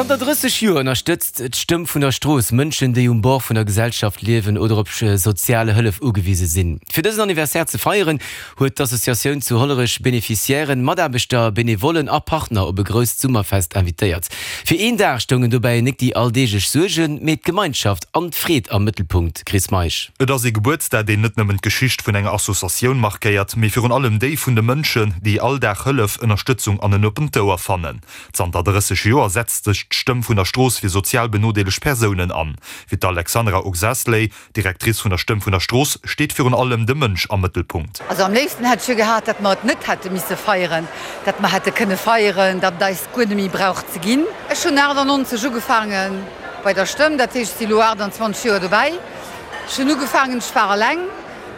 Zanter 30 Joer ënnerstëtzt d'Stëmm vun der Strooss Mënschen, déi um Bord vun der Gesellschaft liewen oder op soziale Hëllef ugewise sinn. Fir dësen Anniversaire ze feieren, huet d'Associatioun zu Hollerech Beneficiairen, Mataarbechter, Benevollen a Partner op e grousst Summerfest invitéiert. Fir een Dag stoungen dobäi nik déi alldeeglech Suergen, mee d'Gemeinschaft an d'Freed am Mëttelpunkt. Chris Meisch. Et ass ee Gebuertsdag, deen net nëmmen d'Geschicht vun enger Associatioun markéiert, mee virun allem déi vun de Mënschen, déi all Dag Hëllef, Ënnerstëtzung an en oppent Ouer fannen. Zanter 30 Joer setzt sech d'Stëmm vun der Strooss fir sozial benodeelegt Persounen an. Fir d'Alexandra Oxasley, Directrice vun der Stëmm vun der Strooss, steet virun allem de Mënsch am Mëttelpunkt. Also am léifsten hätt ech jo gehat, datt mer et net hätte misse feieren, datt mer hätte kënne feieren, datt et eis guer net méi brauch ze ginn. Ech hunn 98 ugefaange bei der Stëmm, dat heescht, ech si lo 28 Joer dobäi. Ech hunn ugefaangen, ech war eleng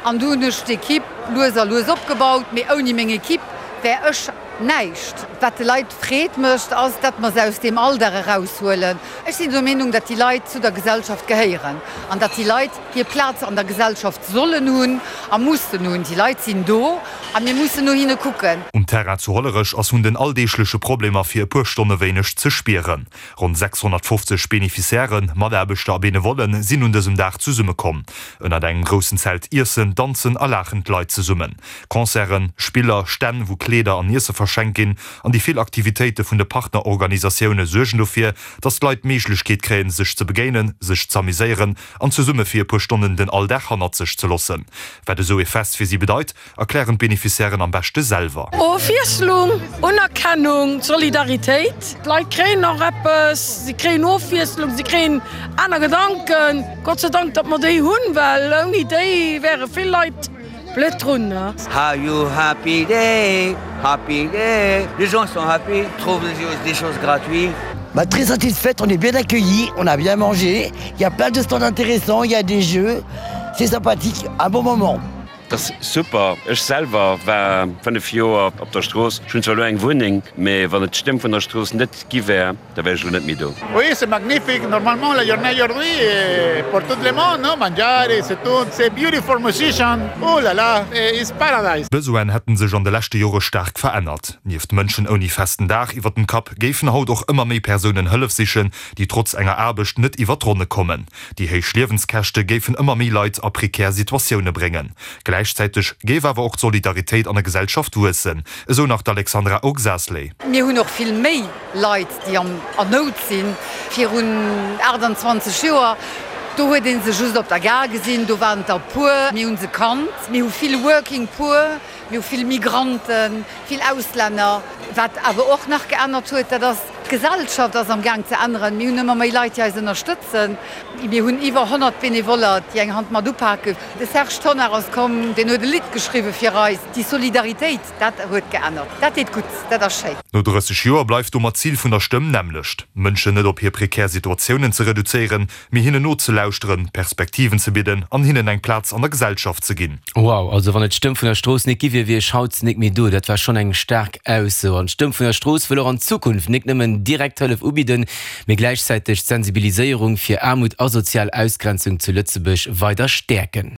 an du hunn ech d'Equipe lues a lues opgebaut, mee ouni meng Equipe wär ech näischt. Wat de Leit Freed mécht, ass, datt mer se aus deem Alldag eraushuelen. Ech sinn der Meenung, datt déi Leit zu der Gesellschaft gehéieren an datt déi Leit hir Plaz an der Gesellschaft sollen hunn a mussen hunn. Déi Leit sinn do a mir mussen no hinne kucken. Um Terrain zu Hollerech ass vun den alldeegleche Problemer fir e puer Stonne wéineg ze spieren. Ronn 650 Beneficiairen, Mataarbechter a Benevollen sinn un dësem Dag zesummekomm. Ënnert engem groussen Zelt iessen, danzen a laachen d'Leit zesummen. Concerten, Spiller, Stänn wou Kleeder an Iesse verschenkt ginn an déi vill Aktivitéite vun de Partnerorganisatioune suergen dofir, dass d'Leit d'Méiglechkeet kréien sech ze begéinen, sech z'amuséieren an zesumme fir e puer Stonnen den Alldag hannert sech ze loossen. Wat esou ee Fest fir si bedeit, erklären d'Beneficiairen am beschte selwer. Ofwiesslung, Unerkennung, Solidaritéit. D'Leit kréien och eppes, si kréien Ofwiesslung, si kréien aner Gedanken. Gott sei Dank, datt mer déi hunn, well ouni déi wäre vill Leit blöd drun. How you happy day, happy day, les gens sont happy, trouvent des choses gratuites. Bah, très satisfaite, on est bien accueillis, on a bien mangé, il y a plein de stands intéressants, il y a des jeux, c'est sympathique, un bon moment. Dat ass super. Ech selwer war 5 Joer op der Strooss. Ech hunn zwar elo eng Wunneng, mee wann et d'Stëmm vun der Strooss net gi wär, da wär ech elo net méi do. Oui, c'est magnifique, normalement la journée aujourd'hui est pour tout le monde, non? Mangiare, c'est tout, c'est beautiful musician, oh là là, it's paradise. D'Besoinen hätten sech an de leschte Jore staark verännert. Nieft Mënschen ouni festen Daach iwwer dem Kapp géifen haut och ëmmer méi Persounen Hëllef sichen, déi trotz enger Aarbecht net iwwer d'Ronne kommen. Déi héich Liewenskäschte géifen ëmmer méi Leit a prekär Situatioune bréngen. Gläichzäiteg géif awer och d'Solidaritéit an der Gesellschaft wuessen, esou nach d'Alexandra Oxasley. Mir hunn och vill méi Leit, déi an Nout sinn. Virun 28 Joer, do huet ee se just op der Gare gesinn, do waren et der e puer. Mir hu se kannt. Mir hu vill Working Poor, mir hu vill Migranten, vill Auslänner. Wat awer och nach geännert huet, dat ass, D'Gesellschaft ass am Gaang ze änneren. Mir hunn ëmmer méi Leit, déi eis ënnerstëtzen. Mir hunn iwwer 100 Benevoller, déi eng Hand mat upaken. De Serge Tonnar ass komm, deen huet e Lidd geschriwwe fir eis. Déi Solidaritéit, dat huet geännert. Dat deet gutt, dat ass schéin. No 30 Joer bleift domat d'Zil vun der Stëmm nämmlecht, Mënschen net op hir prekär Situatiounen ze reduzéieren, mee hinnen nozelauschteren, Perspektiven ze bidden an hinnen eng Plaz an der Gesellschaft ze ginn. Wow, also wann et d'Stëmm vun der Strooss nik gi wier, wier ech haut nik méi do. Dat war schonn eng staark Ausso. An d'Stëmm vun der Strooss wëll och an Zukunft nik nëmmen direkt Hëllef ubidden, mee gläichzäiteg d'Sensibiliséierung fir Aarmut a sozial Ausgrenzung zu Lëtzebuerg weider stäerken.